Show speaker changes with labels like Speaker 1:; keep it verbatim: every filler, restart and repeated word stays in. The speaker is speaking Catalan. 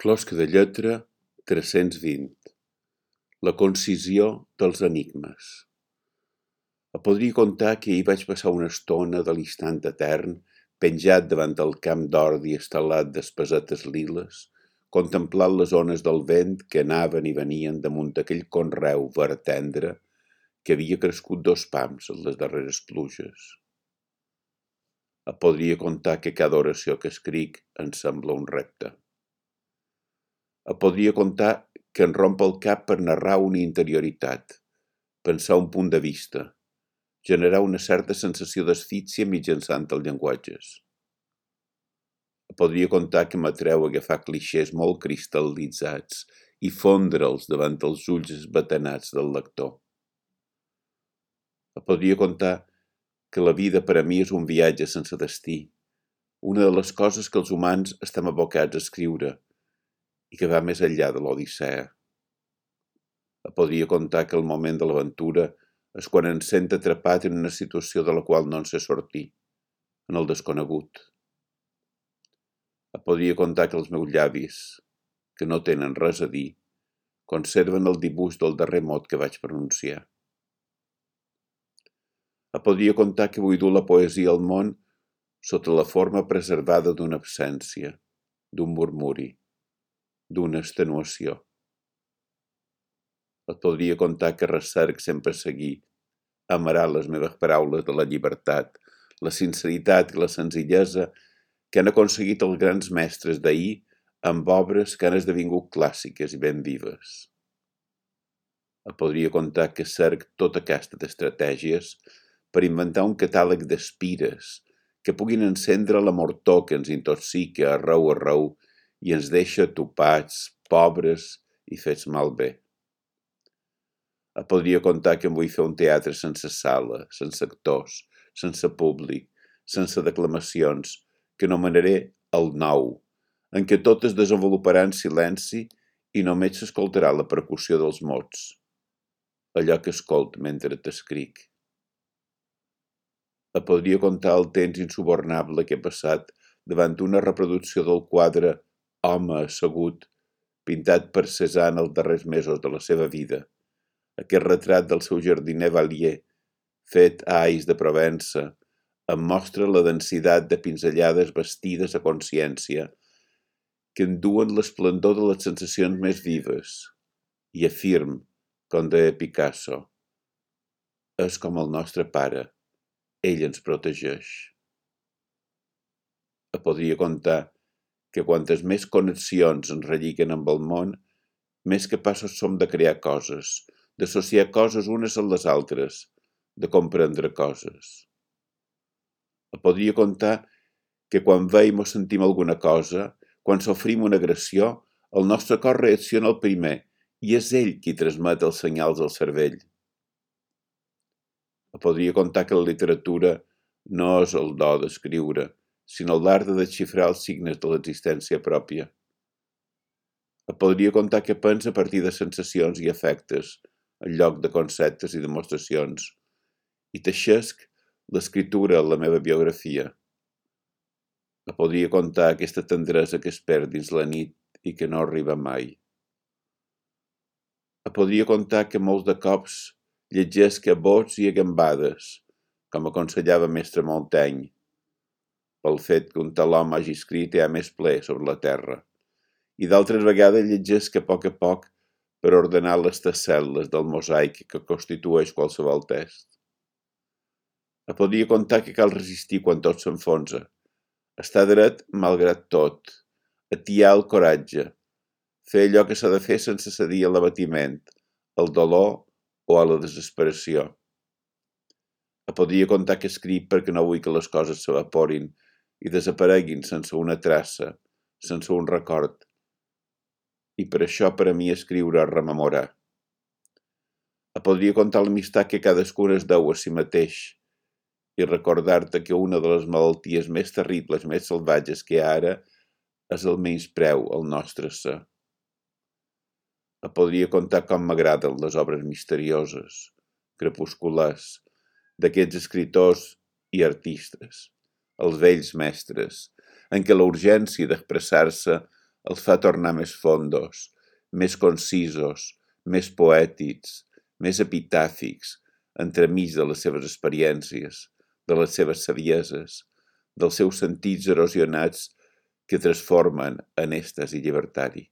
Speaker 1: Closca de lletra tres-cents vint. La concisió dels enigmes. Et podria contar que ahir vaig passar una estona de l'instant etern, penjat davant del camp d'ordi estelat d'espesetes liles, contemplant les ones del vent que anaven i venien damunt d'aquell conreu verd tendre que havia crescut dos pams en les darreres pluges. Et podria contar que cada oració que escric em sembla un repte. Et podria contar que em romp el cap per narrar una interioritat, pensar un punt de vista, generar una certa sensació d'asfíxia mitjançant els llenguatges. Et podria contar que m'atreu a agafar clixés molt cristal·litzats i fondre'ls davant els ulls esbatanats del lector. Et podria contar que la vida per a mi és un viatge sense destí, una de les coses que els humans estem abocats a escriure i que va més enllà de l'Odissea. Et podria contar que el moment de l'aventura és quan em sent atrapat en una situació de la qual no en sé sortir, en el desconegut. Et podria contar que els meus llavis, que no tenen res a dir, conserven el dibuix del darrer mot que vaig pronunciar. Et podria contar que vull dur la poesia al món sota la forma preservada d'una absència, d'un murmuri, d'una extenuació. Et podria contar que recerc sempre seguir, amarar les meves paraules de la llibertat, la sinceritat i la senzillesa que han aconseguit els grans mestres d'ahir amb obres que han esdevingut clàssiques i ben vives. Et podria contar que cerc tota aquesta d'estratègies per inventar un catàleg d'espires que puguin encendre la mortor que ens intoxica arreu arreu i ens deixa topats, pobres i fets malbé. Et podria contar que em vull fer un teatre sense sala, sense actors, sense públic, sense declamacions, que anomenaré el nou, en què tot es desenvoluparà en silenci i només s'escoltarà la percussió dels mots, allò que escolt mentre t'escric. Et podria contar el temps insubornable que he passat davant una reproducció del quadre Home assegut, pintat per Cézanne els darrers mesos de la seva vida, aquest retrat del seu jardiner Vallier, fet a Ais de Provença, em mostra la densitat de pinzellades vestides a consciència, que enduen l'esplendor de les sensacions més vives, i afirm, com deia Picasso, és com el nostre pare, ell ens protegeix. Et podria contar que quantes més connexions ens relliguen amb el món, més capaços som de crear coses, d'associar coses unes amb les altres, de comprendre coses. Et podria contar que quan veiem o sentim alguna cosa, quan sofrim una agressió, el nostre cor reacciona al primer i és ell qui transmet els senyals al cervell. Et podria contar que la literatura no és el do d'escriure, sinó l'art de desxifrar els signes de l'existència pròpia. Et podria contar que pensa a partir de sensacions i afectes, en lloc de conceptes i demostracions, i teixesc l'escriptura en la meva biografia. Et podria contar aquesta tendresa que es perd dins la nit i que no arriba mai. Et podria contar que molts de cops llegesc a bots i a gambades, com aconsellava mestre Montaigne, pel fet que un tal home hagi escrit ja més ple sobre la terra, i d'altres vegades llegesc a poc a poc per ordenar les tessel·les del mosaic que constitueix qualsevol text. Et podria contar que cal resistir quan tot s'enfonsa, estar dret malgrat tot, atiar el coratge, fer allò que s'ha de fer sense cedir a l'abatiment, al dolor o a la desesperació. Et podria contar que escric perquè no vull que les coses s'evaporin i desapareguin sense una traça, sense un record. I per això per a mi escriure és rememorar. Et podria contar l'amistat que cadascun es deu a si mateix i recordar-te que una de les malalties més terribles, més salvatges que hi ha ara és el menyspreu al nostre ser. Et podria contar com m'agraden les obres misterioses, crepusculars, d'aquests escriptors i artistes, els vells mestres, en què la urgència d'expressar-se els fa tornar més fondos, més concisos, més poètics, més epitàfics, entremig de les seves experiències, de les seves sabieses, dels seus sentits erosionats que transformen en èxtasi llibertari.